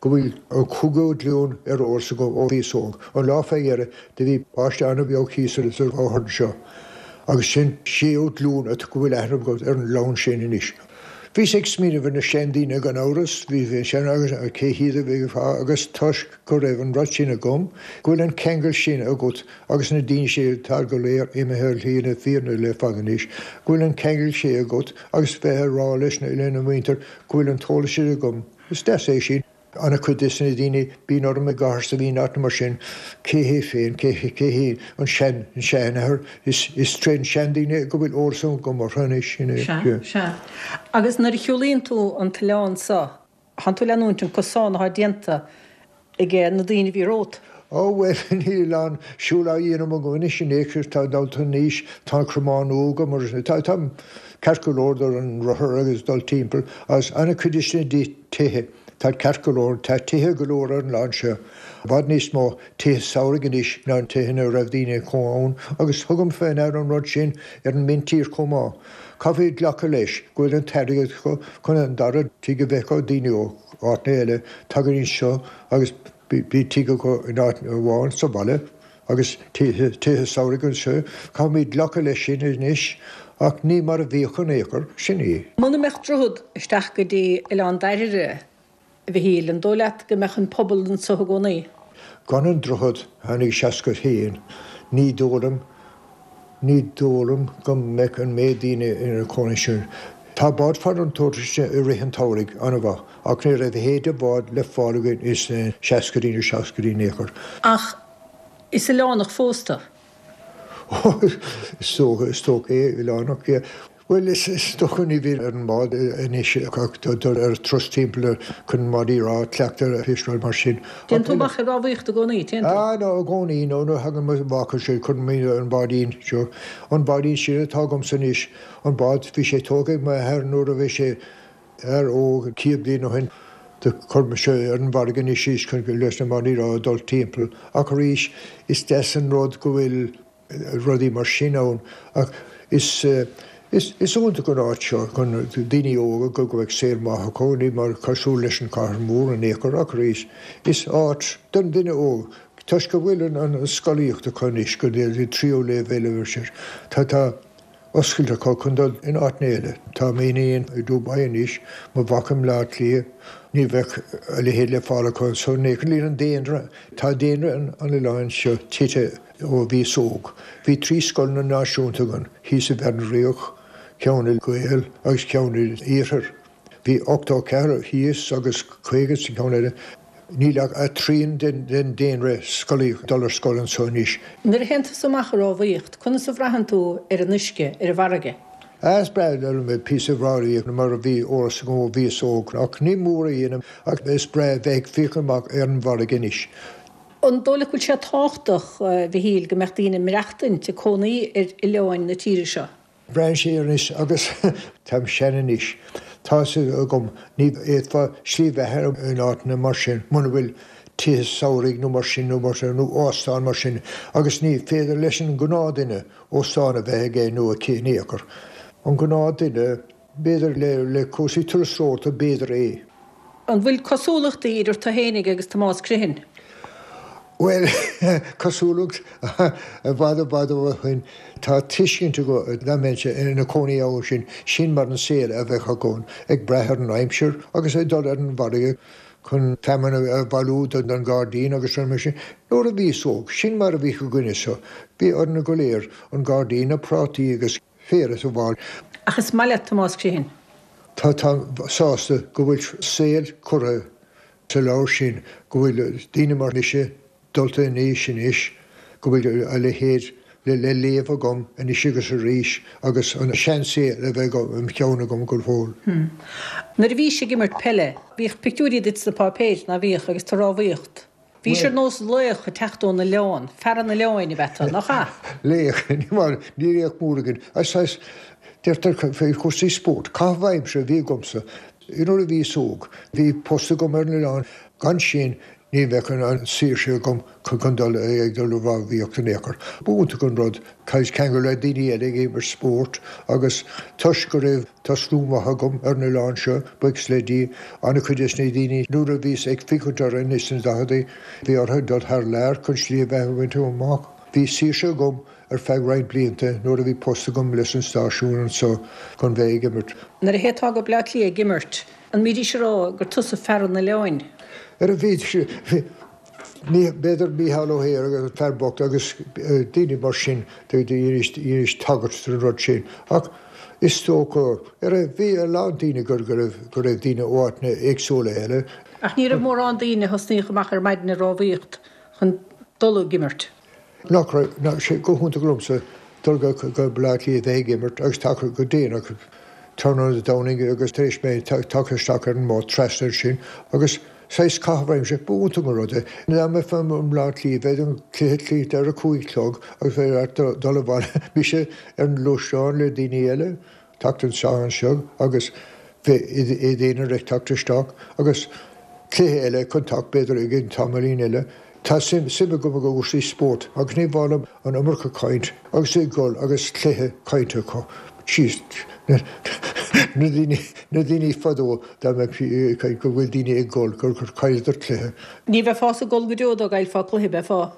go bhfuil an cúigiú glúin ar eolas agam ó bhíos óg. An lá fé dheireadh do bhí páiste an-bheag thíos sa bhóthar anseo agus sin séú glúin go bhfuil aithne agam ar an gclann sin anois. Bhíos ag smaoineamh ar na seandaoine gan amhras, bhí sean agus cé hiad a bhí agus toisc go raibh an rud sin agam, go bhfuil an ceangal sin agat agus na daoine sin atá go léir imithe ar shlí na fírinne le fada anois, go bhfuil an ceangal sin agat agus bheith ag rá leis lena muintir go bhfuil an t-eolas sin agam, is deas é sin. An-chuid des na daoine, bíonn orm i gcathair sa bhíonn áit mar sin, cé hé féin, cé cé hé an sean, an seanathair, is, is trén seandaoine go bhfuil eolas agam orthu anois, sin é. Sea, sea. Agus nuair a shiúlaíonn tú an t-oileán so, thánn tú ag leanúint an cosán athá déanta age na daoine a bhí romhat. Ó bhuel, níl aon siúl á dhéanamh agam anois in aon chor, tá dul in aois, tá an cromán nua agam agus tá, táim ceart go leor dul ar an rothar agus dul timpeall agus an-chuid des na tithe, tá ceart go leor, tá tithe go leor ar an oileán seo, i bhfad níos mó tithe samhraidh anois ná tithe ina raibh daoine ina cónaí ann agus tugaim fé ndeara an rud sin ar an míntír chomh maith. Caithfidh glacadh leis go bhfuil an t-airgead acu chun an dara tigh a bheith acu, daoine ó áiteanna eile, tagann anseo agus bíonn tigh acu in áit amháin sa bhaile agus tithe samhraidh anseo. Caithfimid glacadh leis sin anois ach ní mar a bhíodh in aon chor, sin í. Muna mbeadh droichead isteach go dtí Oileán Dairbhre, a Mhichíl, an dóigh leat go mbeadh an pobal anso i gcónaí? Gan an droichead a tháinig 61, ní dóigh liom, ní dóigh liom go mbeadh an méid daoine ina cónaí sin. Tá bád farantóireachta i rith an tsamhraidh an-mhaith ach ní raibh a leithéid de bhád le fáil againn ins na seascaidí nó seachtaidí in aon chor. Ach is oileánach fós tú. Ó, is dócha, is dócha é, oileánach, yeah. Bhuel, is dócha ní bhíonn ar an mbád anois ach dul ar turas timpeall chun an bád a chleachtadh ar fiosráil mar sin. Téann tú amach ag rámhaíocht i gcónaí, téann tú? Ah, no, i gcónaí, no, nuair a thagann mo mhac anseo, cuireann mé an báidín seo, an báidín sin atá agamsa anois, an bád, bhí sé tógtha ag m'athair nuair a bhí sé fear óg 100 bliain ó shin. Do chuir mise ar an bhfarraige anois í chun leis na mbádaí a dul timpeall. Ach arís, is deas an rud go bhfuil rudaí mar sin ann ach is is iontach an áit seo chun daoine óga go mbeadh saol maith acu, ní mar cosúil leis an chathair mhór in aon chor ach arís is áit don duine óg toisc go bhfuil an scolaíocht acu anois go dtí tríú léibhéal agus tá tá oscailt acu chun dul in áiteanna eile. Tá m'iníon i Dubai anois, mo mhac i mBleá Cliath. Ní bheadh a leithéid le fáil acu anso in aon chor. Níl an daonra, tá daonra an oileáin seo tite ó bhíos óg. Bhí 3 scoileanna náisiúnta againn, thíos i bhFearann Riabhach, ceann i Gael agus ceann in Iarthar. Bhí 84 thíos agus 50 sa cheann eile. Níl ach trian den daonra scolaíoch ag dul ar scoil anso anois. Nuair a théann tusa amach ag rámhaíocht, conas a bhraitheann tú ar an uisce, ar an bhfarraige? Is breá liom píosa rámhaíocht mar a bhí eolas agam ó bhíos óg, ach ní mór a dhéanamh ach is breá bheith ag féachaint amach ar an bhfarraige anois. An dóigh leat go bhfuil sé tábhachtach, a Mhichíl, go mbeadh daoine ag maireachtaint, ag cónaí ar oileáin na tíre seo? Braitheann sé anois agus táim sean anois. Tá a fhios agam, ní fhéadfá slí bheatha in áiteanna mar sin muna bhfuil tithe samhraidh nó mar sin nó mar sin nó óstán mar sin agus ní féidir leis an gnáthdhuine óstán a bheith aige nó aici in aon chor. An gnáthdhuine, b'fhéidir le cúrsaí turasóireachta b'fhéidir é. An bhfuil cosúlachtaí idir tú fhéinig agus Tomás Criomhthain? Bhuel, cosúlacht, i bhfad i bhfad ó shin, tá tuiscint agam dá mbeinnse ina cónaí ann sin, sin mar an saol a bheadh agam, ag brath ar an aimsir agus ag dul ar an bhfarraige chun feamainn a bhailiú don ghairdín agus rudaí mar sin. Nuair a bhíos óg, sin mar a bhíodh againne so, bhí orainn go léir an gairdín, na prátaí agus féar a fháil. Ach is maith leat Tomás Criomhthain. Tá, táim sásta go bhfuil saol curtha sa leabhar sin, go bhfuil daoine mar mise dulta in aois anois, go bhfuil a leithéid le léamh agam anois agus arís agus an seansaol a bheith im cheann agam go fóill. Nuair a bhís ag imirt peile, bhíodh pictiúirí duit sna páipéir, ná bhíodh, agus tú ag rámhaíocht. Bhís ar nós laoch ag teacht ón oileán, fear an oileáin ab ea tú, nach ea? Laoch, ní mar, ní laoch mór againn. Is, deirtear faoi chúrsaí spóirt, caitheamh aimsire a bhí agamsa nuair a bhíos óg. Bhí post agam ar an oileán, gan sin ní bheadh an saoirse agam chun dul ag dul ag rámhaíocht in aon chor. B'iontach an rud ceangal le daoine eile ag imirt spóirt agus toisc go raibh Tá slua maith agam ar an oileán seo, buíochas le Dia. An-chuid des na daoine, nuair a bhíos ag féachaint orthu ins na daicheadaí, bhí orthu dul thar lear chun slí a bheatha a bhaint amach. Bhí saoirse agam ar feadh roinnt blianta nuair a bhí post agam leis an stáisiún anso chun bheith ag imirt. Nuair a théiteá go Bleá Cliath ag imirt, an mbídís ag rá gur tusa fear an oileáin? Ar a bhí, b'fhéidir Mícheál Ó hEithir agus an fear bocht agus daoine mar sin dheinis tagairt don rud sin. Ach is dócha, ar a, bhí a lán daoine go raibh, go raibh daoine ó áiteanna éagsúla eile. Ach ní raibh mórán daoine a thosnaíodh amach ar maidin ag rámhaíocht chun dul ag imirt. Nach raibh, nach, sé go hiontach liomsa dul go, go Baile Átha Cliath bheith ag imirt agus tagtha go déanach tráthnóna Dé Domhnaigh agus tar éis mé tagtha isteach ar an mbád trasna ansin agus saghas caitheamh aimsire, ba iontach an rud é. Dá mbeifeá i mBleá Cliath bheadh an cluiche críochnaithe ar a 5 chlog agus bheadh ort dul abhaile, mise ar an ngluaisteán le daoine eile. teacht isteach anseo agus bheith i d'aonar ag teacht isteach agus cluiche eile chun teacht b'fhéidir i gcionn tamaillín eile. Tá suim agam i gcúrsaí spóirt agus ní mhaith liom an iomarca caint agus ag dul agus cluiche cainte acu. Jeez, na daoine, na daoine fadó dá mbeadh ag caint go bhfuil daoine ag gol gur chailleadar cluiche. Ní bheifeása ag gol go deo dá gcaillfeá cluiche, beifeá?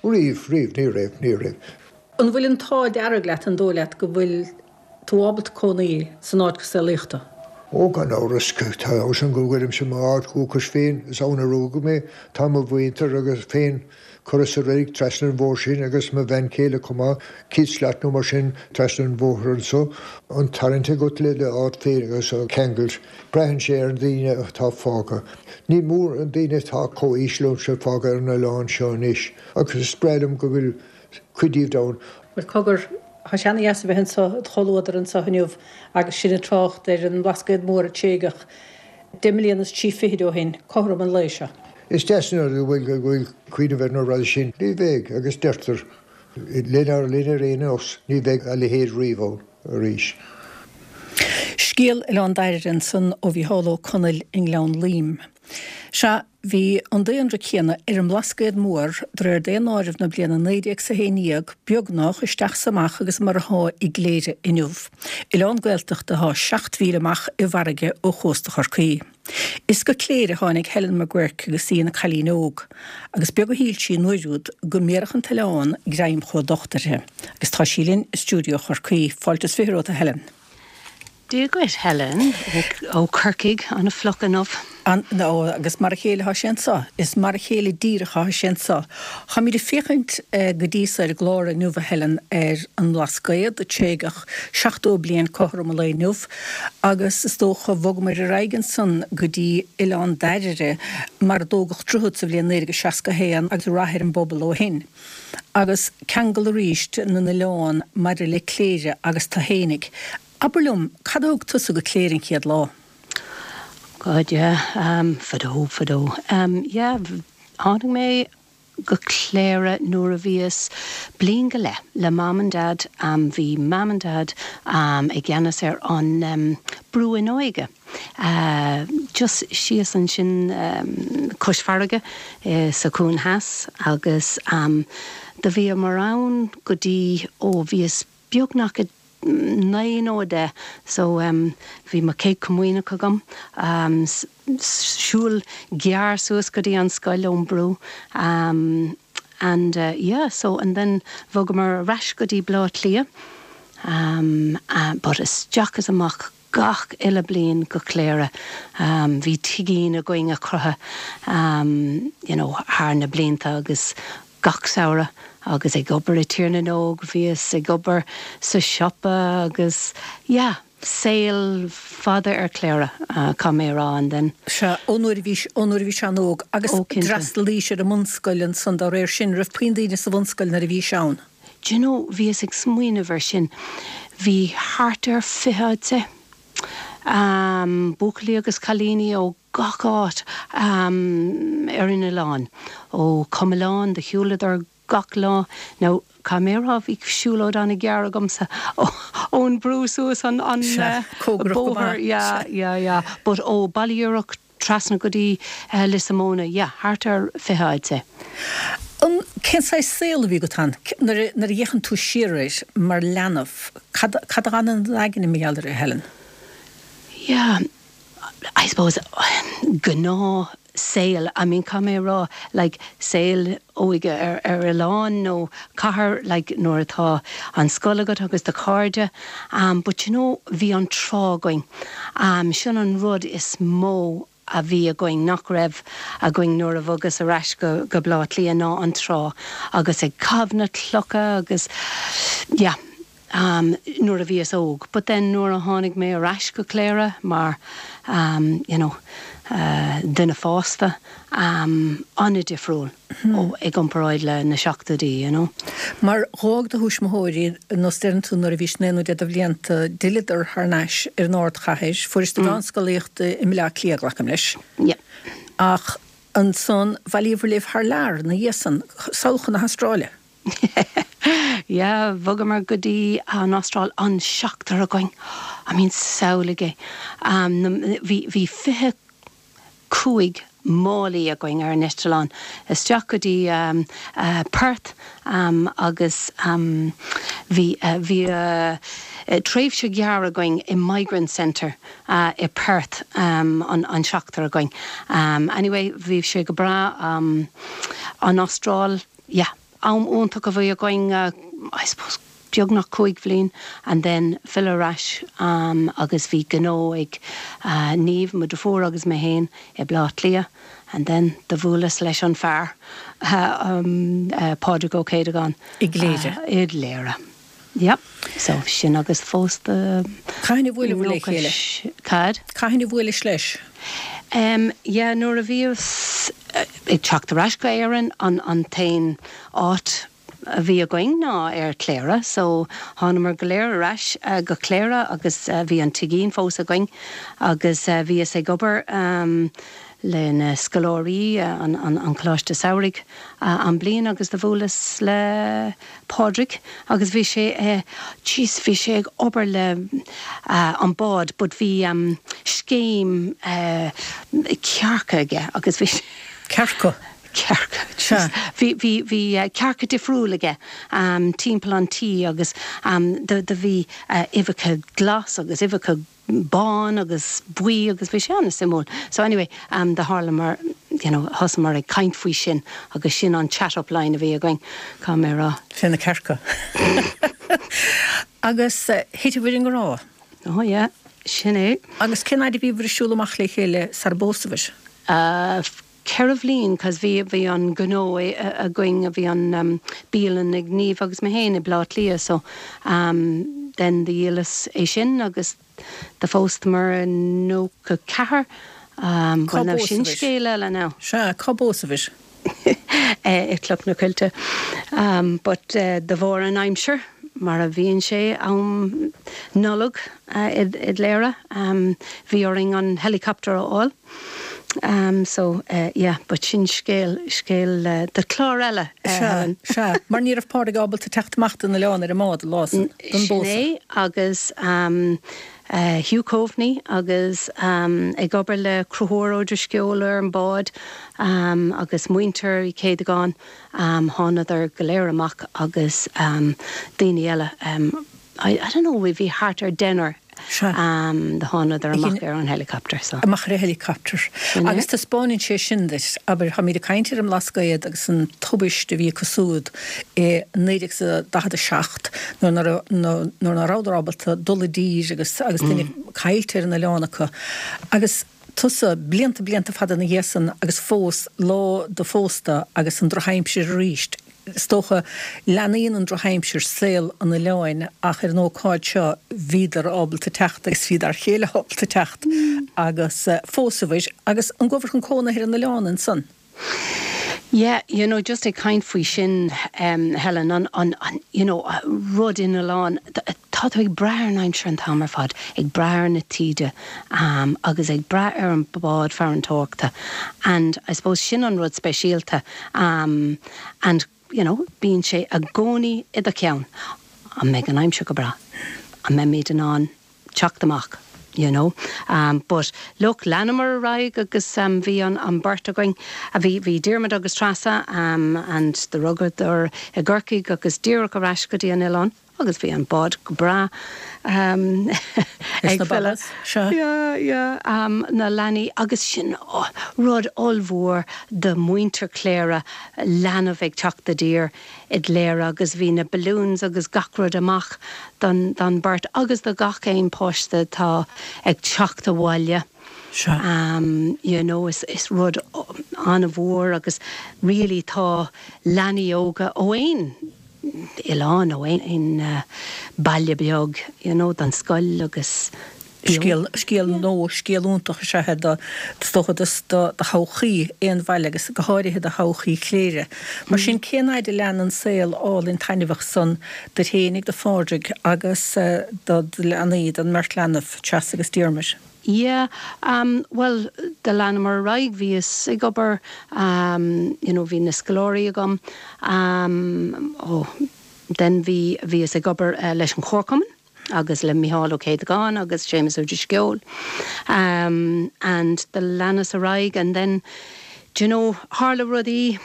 Riamh, riamh, ní raibh, ní raibh. An bhfuil an t-ádh dearg leat, an dóigh leat go bhfuil tú ábalta cónaí san áit go saolaíodh tú? Ó, gan amhras, tá fhios agam go bhfuilimse i m'áit dhúchais féin, is ann a rugadh mé, tá mo mhuintir agus féin curtha sa reilig trasna an bhóthair sin agus mo bhean chéile chomh maith, 100 slat nó mar sin trasna an bhóthair anso. An tarraingt agat le d'áit féin agus an ceangal, braitheann sé ar na daoine atá fágtha. Ní mór an daoine atá chomh haois liomsa fágtha ar an oileán seo anois agus is breá liom go bhfuil cuid díobh ann. Bhuel, cogar, tá sé ana-dheas a bheith anseo i do chomhluadar anseo inniu agus sinn ag trácht ar an mBlascaod Mór a tréigeadh deich mbliana is trí fichid ó shin, cothrom an lae seo. Is deas an rud go bhfuil go bhfuil cuimhneamh ar na rudaí sin. Ní bheidh, agus deirtear, lenár linn ar aon nós, ní bheidh a leithéid riamh ann arís. Scéal Oileán Dairbhre ansan ó Mhícheál Ó Conaill i nGleann Loim. Sea, bhí an daonra céanna ar an mBlascaod Mór de réir daonáireamh na bliana 1911, beagnach, isteach 's amach agus mar athá i gCléire inniu, oileán Gaeltachta athá 7 mhíle amach i bhfarraige ó chósta Chorcaí. Is go Cléire a tháinig Helen McGuirk agus í ina cailín óg, agus beag a shíl sí an uair úd go mbéarfadh an t-oileán greim chomh docht uirthi. Agus tá sí linn i stiúideo Chorcaí. Fáilte is 20 romhat, a Helen. Dia dhuit, Helen, ó Chorcaigh, an-fhliuch inniu. An, ó, agus mar a chéile atá sé anso. Is mar a chéile díreach atá sé anso. Táimid ag féachaint go dtí so ar an gclár inniu, a Helen, ar an mBlascaod a tréigeadh 70 bliain cothrom an lae inniu, agus is dócha bhogamair ar aghaidh ansan go dtí Oileán Dairbhre mar a dtógadh droichead sa bhliain 1961 agus rath ar an bpobal ó shin. Agus ceangal arís na n-oileán maidir le Cléire agus tu fhéinig. Abair liom, cad a thug tusa go Cléire an chéad lá? God yeah, fadó, fadó. Yeah, tháinig mé go Cléire nuair a bhíos bliain go leith le Mam and Dad. Bhí Mam and Dad i gceannas ar an Brú Fhuinneoige just síos ansin cois farraige sa Chuan Theas agus do bhíomar ann go dtí ó bhíos beagnach 9 nó 10 so bhí mo chéad chomaoineach agam, siúl gearr suas go dtí an scoil ón brú and yeah so and then bhogamar ar ais go dtí Bleá Cliath but isteach is amach gach uile bliain go Cléire. Bhí tigín againn a chruthaigh you know thar na blianta agus gach samhradh agus ag obair i Tír na nÓg, bhíos ag obair sa siopa agus yeah, saol fada ar Cléire, caithfidh mé a rá and then. Sea, ón uair a bhís, ón uair a bhís an-óg agus Ó, cinnte. d'fhreastalaís ar an mbunscoil ansan dá réir sin, raibh puinn daoine sa bhunscoil nuair a bhís ann? Do you know, bhíos ag smaoineamh ar sin, bhí thart ar 20 I'd say, buachaillí agus cailíní ó gach áit ar an oileán, ó Com Oileán, do shiúladar gach lá, now caithfidh mé a rá bhí siúlóid an-ghearr agamsa ón brú suas an Sea, cóngarach go bóthar, maith. yeah, yeah, yeah, but ó Baile Iarach trasna go dtí Lios na Móna, yeah, thart ar 20 I'd say. An, cén saghas saol a bhí agat ann? Nuair a, nuair a fhéachann tú siar air mar leanbh, cad, cad a fhanann i d'aigne mar gheall air, a Helen? Yeah, I suppose, gnáth. saol, I mean caithfidh mé a rá like saol óige ar ar oileán nó cathair like nuair atá an scoil agat agus do chairde um but you know bhí an trá againn um sin an rud is mó a bhí againn nach raibh againn nuair a bhogas ar ais go go Baile Átha Cliath ná an trá agus ag caitheamh na clocha agus yeah um nuair a bhíos óg but then nuair a tháinig mé ar ais go Cléire mar um you know uh duine fásta um an-difriúil ó i gcomparáid le na seachtóidí you know. Mar dh'fhág do thuismitheoirí nós deireann tú nuair a bhís naoi nó deich de bhlianta d'fhilleadar thar n-ais ar an ardchathair, fuairis do mheánscolaíocht i mBleá Cliath glacaim leis. Yeah. Ach ansan bhailíobhair libh thar lear ina dhiaidh san, sall chun na hAstráile. Yeah, bhogamar go dtí an Astráil, an seachtar againn. I mean, samhlaigh é. Bhí, bhí 25 málaí againn ar an eitleán isteach go dtí Perth agus bhí, bhí tréimhse ghearr againn i Migrant Centre i Perth, an seachtar againn. Anyway, bhí sé go breá, an Astráil. Yeah, am iontach a bhí againn, I suppose beagnach 5 bhliain and then filleadh ar ais agus bhí gnó ag Niamh, mo deirfiúr agus mé féin i Bleá Cliath and then do bhuaileas leis an fear, Pádraig Ó Céideagáin. I gCléire. I gCléire. Yep, so sin agus phósta. Cathain a bhuaileabhair le chéile? Cad? Cathain a bhuailis leis? Em, yeah, nuair a bhíos ag teacht ar ais go Éirinn, an, an t-aon áit a bhí againn ná ar Cléire, so thánamar go léir ar ais go Cléire agus bhí an tigín fós againn agus bhíos ag obair em le na scoláirí, an, an, an Coláiste Samhraidh an bliain agus do bhuaileas le Pádraig agus bhí sé eh jeez bhí sé ag obair le an bád but bhí scéim eh cearca aige agus bhí sé Cearca? Cearca jeez bhí bhí bhí cearca difriúil aige timpeall an tí agus do do bhí uibheacha glas agus uibheacha bán agus buí agus bhí sé an-suimiúil. So anyway, do tharla mar, you know, thosamar ag caint faoi sin agus sin an chat up line a bhí againn, caithfidh mé a rá. Fé na cearca. Agus thiteabhair i ngrá. Oh yeah, sin é. Agus cén fhaid a bhíobhair ag siúl amach le chéile sar a bpósabhair? 4 bhliain cos bhí bhí an gnó againn bhí an bialann ag Niamh agus mé féin i Bleá Cliath so then do dhíolas é sin agus do phóstamar i 94 Cá bhuel now sin bpósabhair? scéal eile now. Sea, cá bpósabhair? I Cloch na Coillte but de bharr an aimsir mar a bhíonn sé am Nollag i gCléire bhí orainn an helicopter a fháil. So, yeah, but sin scéal, scéal do chlár eile, Helen. Sea, sea, mar ní raibh Pádraig ábalta teacht amach den oileán ar an mbád an lá san, don Sin bpósadh. é, agus Hugh Coveney agus ag obair le Conchúr Ó Drisceoil ar an bád agus muintir Uí Chéadagáin, thánadar go léir amach agus daoine eile, I, I don't know, bhí thart ar deichniúr Sea. Do thánadar amach ar an helicopter so. Amach ar an helicopter. Sin é. Agus taispeáineann sé sin duit, abair, táimid ag caint ar an mBlascaod agus an tubaist a bhí acu siúd i 1947 nuair ná raibh, nuair ná rabhadar ábalta dul i dtír agus, agus duine caillte ar an oileán acu. Agus tusa, blianta, blianta fada ina dhiaidh san agus fós lá do phósta agus an drochaimsir arís. Is dócha, leanaíonn an drochaimsir saol an oileáin ach ar an ócáid seo bhíodar ábalta teacht agus bhí d'fhear chéile ábalta teacht agus phósabhair agus an gcuabhair chun cónaithe ar an oileán ansan? Yeah, you know, just ag caint faoi sin, Helen, an, an, an, you know, rud in oileán, tá tú ag brath ar an aimsir an t-am ar fad, ag brath ar na taoide agus ag brath ar an bád farantóireachta and I suppose sin an rud speisialta and, you know, bíonn sé i gcónaí i do cheann, an mbeidh an aimsir go breá? An mbeimid in ann teacht amach, you know. But look, leanamar ar aghaidh agus bhí an, an beirt againn, bhí, bhí Diarmuid agus Treasa and do rugadar i gCorcaigh agus díreach ar ais go dtí an oileán. Agus bhí an bád go breá ag filleadh. Yeah, yeah, na leanaí agus sin rud ollmhór do mhuintir Chléire, leanbh ag teacht i dtír i gCléire agus bhí na balloons agus gach rud amach don don beirt agus do gach aon páiste atá ag teacht abhaile. You know, is is rud an-mhór agus really tá leanaí óga ó aon oileán nó aon baile beag you know don scoil agus Scéal, scéal nó scéal iontach is ea é do, is dócha do, do thodhchaí aon bhaile agus go háirithe do thodhchaí Chléire. Mar sin cén fhaid a lean an saol álainn taitneamhach san duit fhéinig, do Phádraig agus do do leanaí, don mbeirt leanbh, Treasa agus Diarmuid? Yeah, um, bhuel, do leanamar ar aghaidh, bhíos ag obair, um, you know, bhí na scoláirí agam, um, oh, then bhí, bhíos ag obair eh, leis an Chomharchumann agus le Micheál Ó Céadagáin agus Séamus Ó Drisceoil, um, and do leanas ar aghaidh and then, do you know, tharla rudaí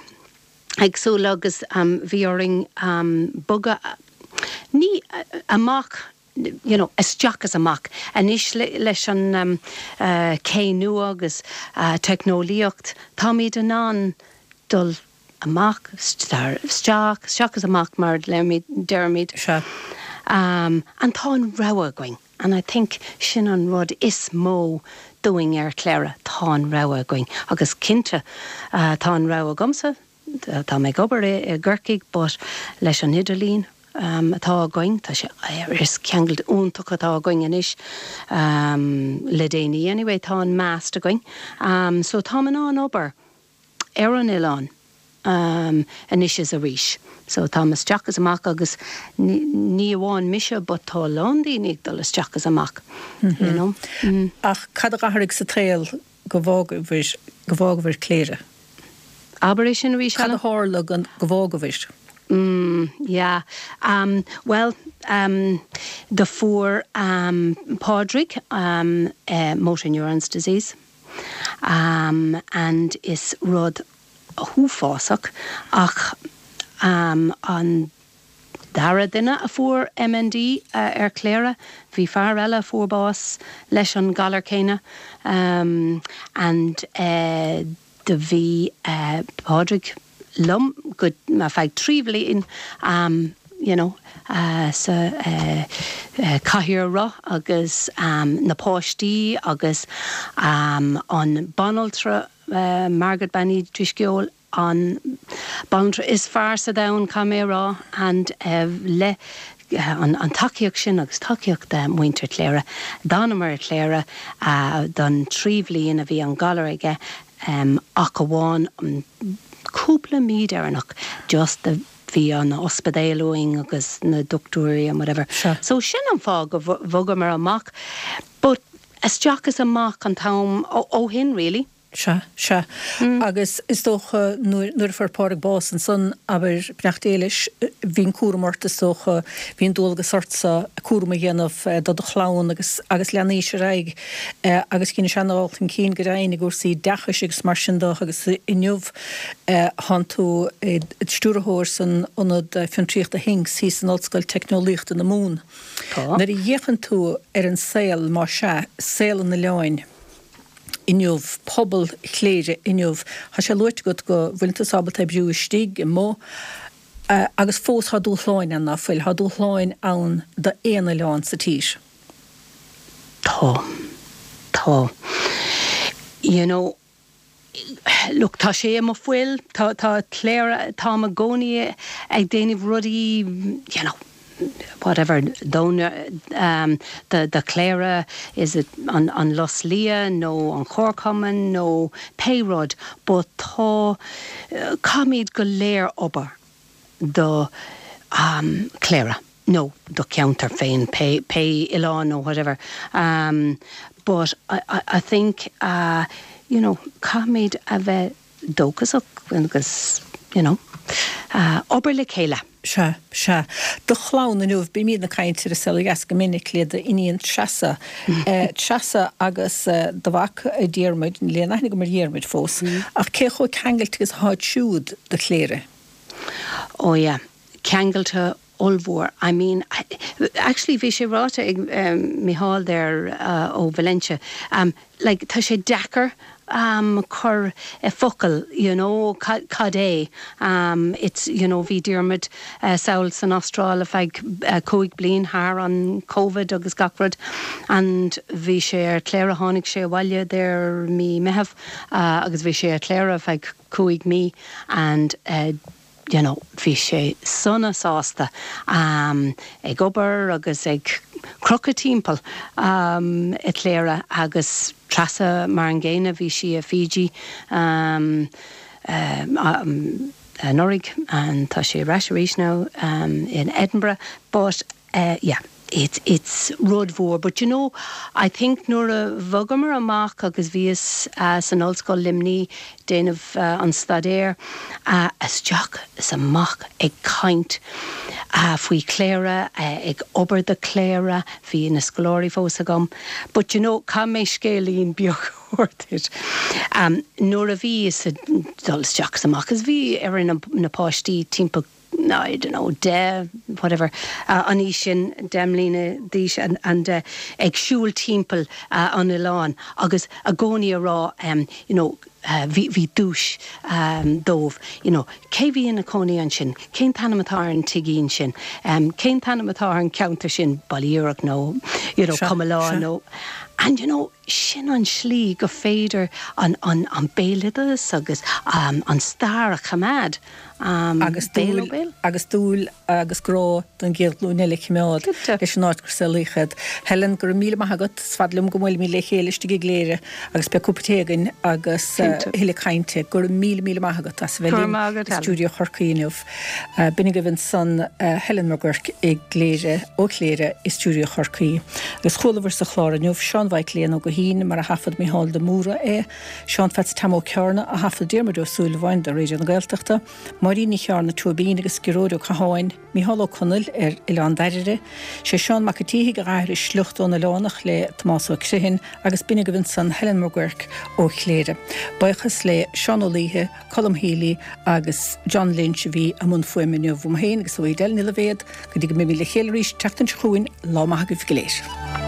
éagsúla agus, um, bhí orainn, um, bogadh, ní, amach you know, isteach is amach. Anois leis an cé nua agus teicneolaíocht, táimid in ann dul amach, isteach, isteach is amach mar a deirimid. Sea. And tá an rogha againn and I think sin an rud is mó dúinn ar Chléire, tá an rogha againn. Agus cinnte tá an rogha agamsa, Tá mé ag obair i gCorcaigh but leis an idirlíon atá againn, tá sé, is ceangal iontach atá againn anois le déanaí anyway, tá an mast againn so táim in ann obair ar an oileán anois is arís. So táim isteach is amach agus ní amháin mise but tá a lán daoine ag dul isteach is amach, you know. Ach cad a d'athraigh sa tsaol go bhfágabhair, go bhfágabhair Cléire. Abair é sin arís, Cad a tharla go bhfágabhair? Mm, yeah. Um, bhuel, um, do fuair um, Pádraig um, eh, motor neurons disease. Um, and is rud uafásach ach um, an dara duine a fuair MND ar Chléire, bhí fear eile a fuair bás leis an galar céanna and do bhí Pádraig liom go ar feadh 3 bhliain you know sa cathaoir roth agus na páistí agus an banaltra Margaret Bean Uí Drisceoil an banaltra is fearr sa domhan, caithfidh mé a rá, and le an tacaíocht sin agus tacaíocht muintir Chléire, d'fhanamar i Cléire don 3 bhliain a bhí an galar aige ach amháin cúpla mí deireanach just bhí an ospidéal uainn agus na dochtúirí and whatever. So sin an fáth go bhogamar amach but isteach is amach an t-am ó shin really. Sea, sea. Agus is dócha nuair, nuair a fuair Pádraig bás ansan, abair, beannacht Dé leis, bhí an cúram ort is dócha, bhí an dualgas ortsa cúram a dhéanamh do do chlann agus, agus leanaís ar aghaidh agus dheinis ana-dhul chun cinn go deimhin i gcúrsaí oideachais agus mar sin de agus inniu tánn tú i do stiúrthóir san Ionad Fiontraíochta Thinks thíos in Ollscoil Teicneolaíochta na Mumhan. Tá. Nuair a fhéachann tú ar an saol, más ea, saol an oileáin, inniu, pobal Chléire inniu. Tá sé luaite agat go bhfuileann tú ábalta oibriú istigh, amuigh, agus fós tá dúshláin ann, ná fuil? Tá dúshláin ann d'aon oileán sa tír. Tá. Tá. You know, Look, tá sé i mo fuil, tá, tá Cléire, táim i gcónaí ag déanamh rudaí, you know, whatever, don, um, do, do Chléire, is it an, an Lus Liath nó an Chomharchumann nó pé rud, but tá, caithfimid go léir obair do, um, Cléire. nó do cheantar féin, pé pé oileán nó whatever um but I I I think uh you know caithfimid a bheith dóchasach agus you know uh obair le chéile. Sea, sea. Do chlann inniu, bímid ag caint ar An Saol Ó Dheas go minic le d'iníon Treasa. Treasa agus do mhac Diarmuid, níl aon aithne agam ar Dhiarmuid fós, ach cé chomh ceangailte agus atáid siúd do Chléire? Oh yeah, ceangailte ollmhór. I mean, I. Actually bhí sé ráite ag Micheál there ó Valentia, like tá sé deacair cur i focail you know cad é it's you know bhí Diarmuid sall san Astráil ar feadh 5 bliain thar an Covid agus gach rud and bhí sé ar Cléire tháinig sé abhaile there mí Meitheamh agus bhí sé ar Cléire ar feadh 5 mí and you know bhí sé sona sásta ag obair agus ag crochadh timpeall i Cléire agus Treasa mar an gcéanna bhí sí i Fiji anuraidh and tá sí ar ais arís now in Edinburgh but yeah it's it's rud mhór but you know I think nuair a bhogamar amach agus bhíos san Ollscoil Luimní déanamh an staidéir isteach is amach ag caint faoi Chléire ag obair do Chléire bhí na scoláirí fós agam but you know caithfidh mé scéilín beag a thabhairt duit nuair a bhíos ag dul isteach is amach agus bhí ar na páistí timpeall I don't know, 10, whatever, an aois sin, 10 mbliana d'aois and ag siúl timpeall an oileáin agus i gcónaí a rá you know bhí, bhí duais dóibh, you know, cé bhí ina cónaí ansin, cén t-ainm atá ar an tigín sin, cén t-ainm atá ar an ceantar sin, Baile Iarach nó you know Com Oileáin nó and you know sin an slí go féidir an, an, an béaloideas agus an stair a choimeád. Agus dúil agus dúil agus grá don gcéad ghlúin eile a choimeád leis an áit gur saolaíodh iad. Helen, go raibh míle maith agat. Is fada liom go mbuailfimid le chéile istigh i gCléire agus beidh cúpa tae againn agus thuilleadh cainte. Go raibh míle míle maith agat as a bheith linn i stiúideo Chorcaí inniu. B'in agaibh ansan Helen Mac Guirc i gCléire, ó Chléire i stiúideo Chorcaí. Agus chualabhair sa chlár inniu Seán Mhaidhc Léan Ó Guithín mar a thaifead Mícheál de Mórdha é. Seán Pheats Tom Ó Cearna, a thaifead Diarmuid Ó Súilleabháin do Raidió na Gaeltachta, Máirín Ní Chearna Tóibín agus Gearóid Ó Catháin, Mícheál Ó Conaill ar Oileán Dairbhre, sé Seán Mac a' tSíthigh a d'aithris sliocht ón Oileánach le Tomás Ó Criomhthain agus b'in agaibh ansan Helen Mac Guirc ó Chléire. Buíochas le Seán Ó Laoithe, Colm Healy agus John Lynch a bhí i mbun fuaime inniu. Uaim féin agus ó Edel Ní Loibhéad, go dtí go mbeimid le chéile arís an tseachtain seo chugainn, lá maith agaibh go léir.